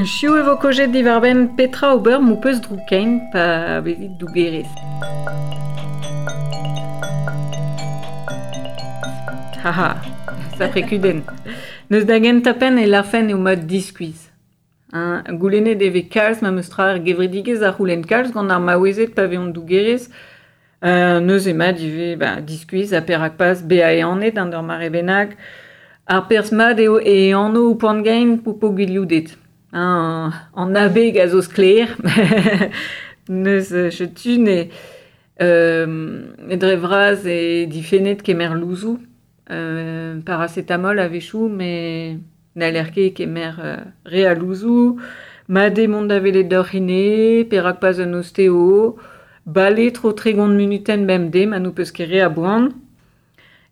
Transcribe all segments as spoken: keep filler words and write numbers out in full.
Chiu e vo kojet divarben Petra ober mou peus droukein pa vezit dougerez. Haha, sapre kudenn. Neus da gentañ e larfen eo mat diskuizh. Hein, goulennet e vez kalz ma meus tra ar gevredigezh ar c'houlenn kalz gant ar maouezed pa vezont dougerez. Euh, neus eo mat ivez ba, diskuizh ha perak pas bezañ ehanet an ur mare bennak. Ar perzh mat eo e anv ho poan-gein po po gwilioudet. Hein, an abeg a zo sklaer. Neus setu ne euh, dre vras e difennet kemer louzoù. Euh, paracetamol a-wechoù, met n'haller ket kemer euh, re a louzoù. Mat eo mont da welet d'ur c'hine, perak pas un ostéo. Bale tro tregont munutenn bemdez ma n'ho peus ket re a boan.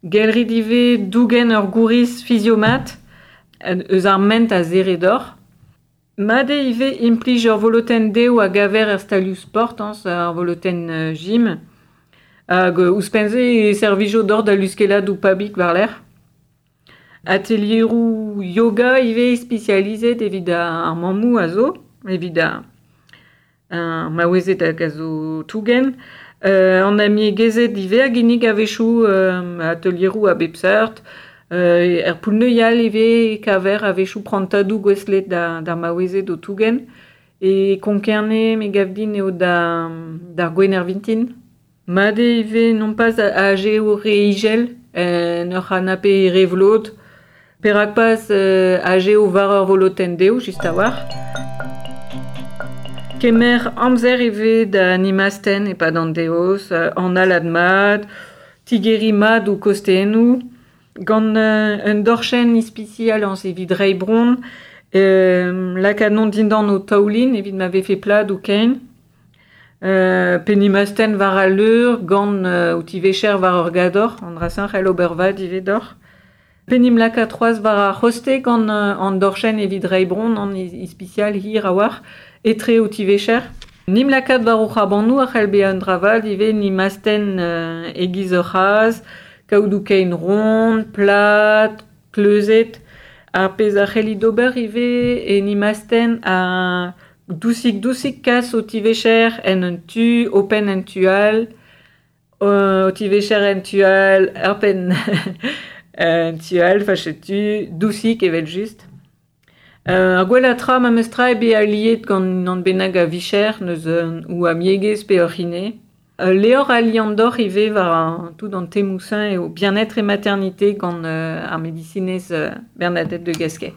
Gelrit ivez dougen ur gouriz fiziomat eus ar ment a zere d'or. Mat eo ivez implij ur volotenn dev a gaver er stalioù sport, hein, ar volotenn gym. Hag ouzhpenn-se e servijo d'or da luskellat ou pabik war-lerc'h. Atelieroù yoga ivez spesializet evit ar mammoù a zo, evit ar maouezed hag a zo tougen. Euh, an amiegezed ivez a ginnig a-wechoù euh, atelieroù a bep seurt. Euh, er poull-neuial ivez kaver a-wechoù prantadoù gouestlet da, d'ar maouezed o tougen. E Konkerne me gav din eo da, d'ar Gwener vintin. Mat eo ivez non pas a eo re igel, en ur c'hanape re vlot. Perak pas euh, aze eo war ur volotenn dezho, just a-walc'h. Kemer amzer ivez da nimasten e-pad an deoz, an alad mat, tigeri mat ou kosteennoù, gant euh, un dorchenn ispisial an evit reiñ bron, euh, lakaat non dindan o taoulin evit ma vefe plad ou kein. Euh, pe nimasten war al leur gant euh, o tivecher war ur gador, an drasañ c'hell ober vad ivez d'or. Pe nim lakaat c'hoazh war ar c'hoste gant euh, an dorchenn evit reiñ bron an ispisial hir a-walc'h, etre o tivecher. Nim lakaat war o c'hrabannoù a c'hell bezañ un dra vat ivez nimasten euh, e-giz ur c'hazh, kaout ou kein ront, plat, kleuzet. Ar pezh a c'hellit d'ober ivez e nimasten a dousik-dousik kas o tivecher en un tu, o penn en tu all, o tivecher en tu all, ar penn en tu all, fa setu, dousik evel just. Euh, ar gwellañ tra ma meus tra eo bezañ aliet gant an bennak a vicher neus ou amiegez pe ur c'hine. Euh, Levr a liamm d'or ivez war an, tout an temoù-se eo bien-être et maternité gant euh, ar medisinez euh, Bernadette de Gasquet.